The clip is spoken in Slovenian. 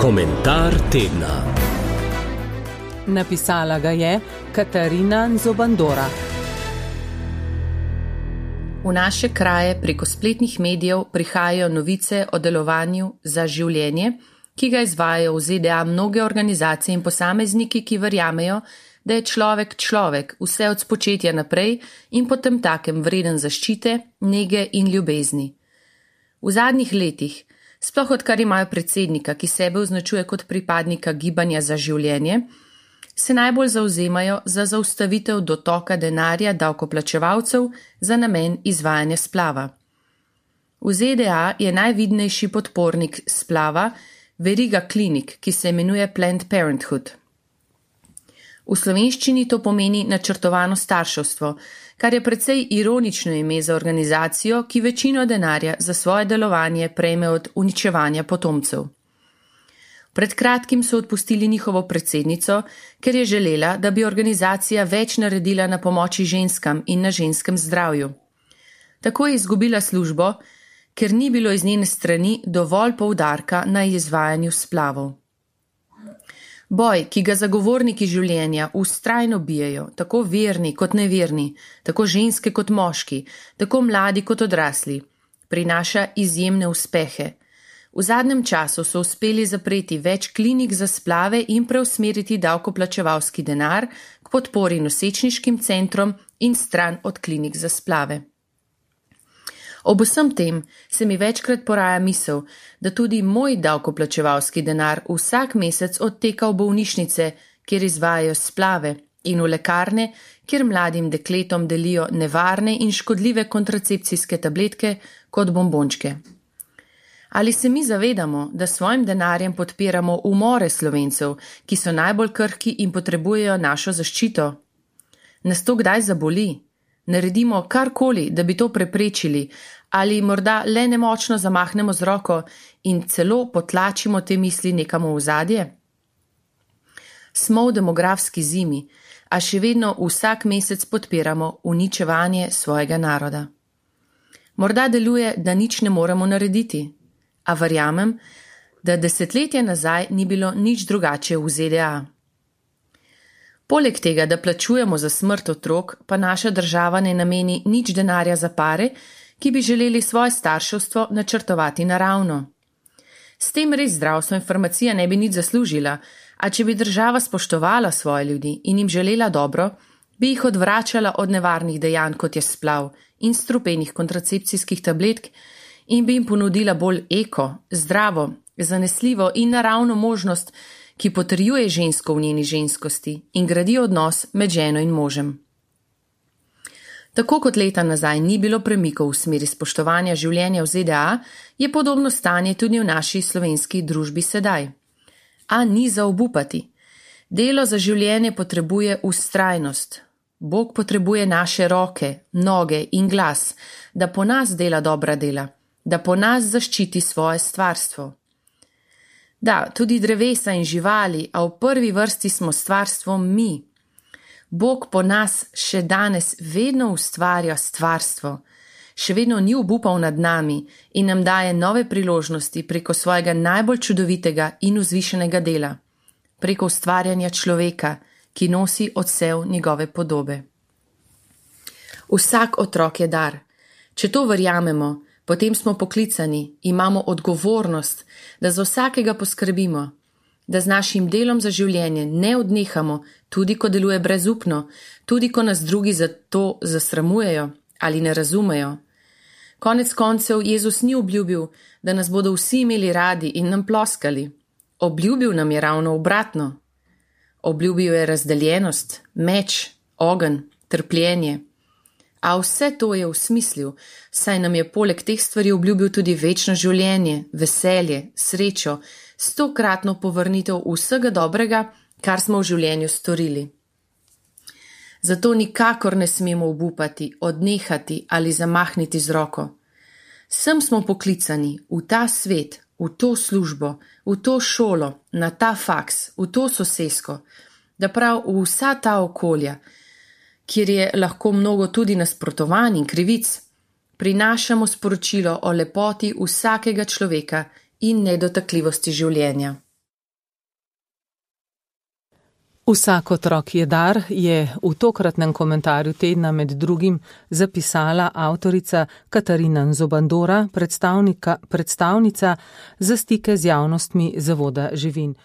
Komentar tedna. Napisala ga je Katarina Nzobandora. V naše kraje preko spletnih medijev prihajajo novice o delovanju za življenje, ki ga izvajajo v ZDA mnoge organizacije in posamezniki, ki verjamejo, da je človek vse od spočetja naprej in potem takem vreden zaščite, nege in ljubezni. V zadnjih letih, sploh odkar imajo predsednika, ki sebe označuje kot pripadnika gibanja za življenje, se najbolj zavzemajo za zaustavitev dotoka denarja davkoplačevalcev za namen izvajanja splava. V ZDA je najvidnejši podpornik splava veriga klinik, ki se imenuje Planned Parenthood. V slovenščini to pomeni načrtovano starševstvo, kar je precej ironično ime za organizacijo, ki večino denarja za svoje delovanje prejme od uničevanja potomcev. Pred kratkim so odpustili njihovo predsednico, ker je želela, da bi organizacija več naredila na pomoči ženskam in na ženskem zdravju. Tako je izgubila službo, ker ni bilo iz njene strani dovolj poudarka na izvajanju splavov. Boj, ki ga zagovorniki življenja vztrajno bijejo, tako verni kot neverni, tako ženske kot moški, tako mladi kot odrasli, prinaša izjemne uspehe. V zadnjem času so uspeli zapreti več klinik za splave in preusmeriti davkoplačevalski denar k podpori nosečniškim centrom in stran od klinik za splave. Ob vsem tem se mi večkrat poraja misel, da tudi moj davkoplačevalski denar vsak mesec odteka v bolnišnice, kjer izvajajo splave, in v lekarne, kjer mladim dekletom delijo nevarne in škodljive kontracepcijske tabletke kot bombončke. Ali se mi zavedamo, da s svojim denarjem podpiramo umore Slovencev, ki so najbolj krhki in potrebujejo našo zaščito? Nas to kdaj zaboli? Naredimo karkoli, da bi to preprečili, ali morda le nemočno zamahnemo z roko in celo potlačimo te misli nekam v ozadje? Smo v demografski zimi, a še vedno vsak mesec podpiramo uničevanje svojega naroda. Morda deluje, da nič ne moremo narediti, a verjamem, da desetletja nazaj ni bilo nič drugače v ZDA. Poleg tega, da plačujemo za smrt otrok, pa naša država ne nameni nič denarja za pare, ki bi želeli svoje starševstvo načrtovati naravno. S tem res zdravstvo in farmacija ne bi nič zaslužila, a če bi država spoštovala svoje ljudi in jim želela dobro, bi jih odvračala od nevarnih dejanj, kot je splav in strupenih kontracepcijskih tabletk, in bi jim ponudila bolj eko, zdravo, zanesljivo in naravno možnost, ki potrjuje žensko v njeni ženskosti in gradi odnos med ženo in možem. Tako kot leta nazaj ni bilo premikov v smeri spoštovanja življenja v ZDA, je podobno stanje tudi v naši slovenski družbi sedaj. A ni za obupati. Delo za življenje potrebuje vztrajnost. Bog potrebuje naše roke, noge in glas, da po nas dela dobra dela, da po nas zaščiti svoje stvarstvo. Da, tudi drevesa in živali, a v prvi vrsti smo stvarstvo mi. Bog po nas še danes vedno ustvarja stvarstvo, še vedno ni obupal nad nami in nam daje nove priložnosti preko svojega najbolj čudovitega in vzvišenega dela, preko ustvarjanja človeka, ki nosi odsev njegove podobe. Vsak otrok je dar. Če to verjamemo, potem smo poklicani, imamo odgovornost, da za vsakega poskrbimo, da z našim delom za življenje ne odnehamo, tudi ko deluje brezupno, tudi ko nas drugi za to zasramujejo ali ne razumejo. Konec koncev Jezus ni obljubil, da nas bodo vsi imeli radi in nam ploskali. Obljubil nam je ravno obratno. Obljubil je razdeljenost, meč, ogenj, trpljenje. A vse to je v smislil, saj nam je poleg teh stvari obljubil tudi večno življenje, veselje, srečo, 100-kratno povrnitev vsega dobrega, kar smo v življenju storili. Zato nikakor ne smemo obupati, odnehati ali zamahniti z roko. Sem smo poklicani v ta svet, v to službo, v to šolo, na ta faks, v to sosesko, da prav v vsa ta okolja, kjer je lahko mnogo tudi nasprotovanj in krivic, prinašamo sporočilo o lepoti vsakega človeka in nedotakljivosti življenja. Vsak otrok je dar, je v tokratnem komentarju tedna med drugim zapisala avtorica Katarina Zobandora, predstavnica za stike z javnostmi Zavoda Živin.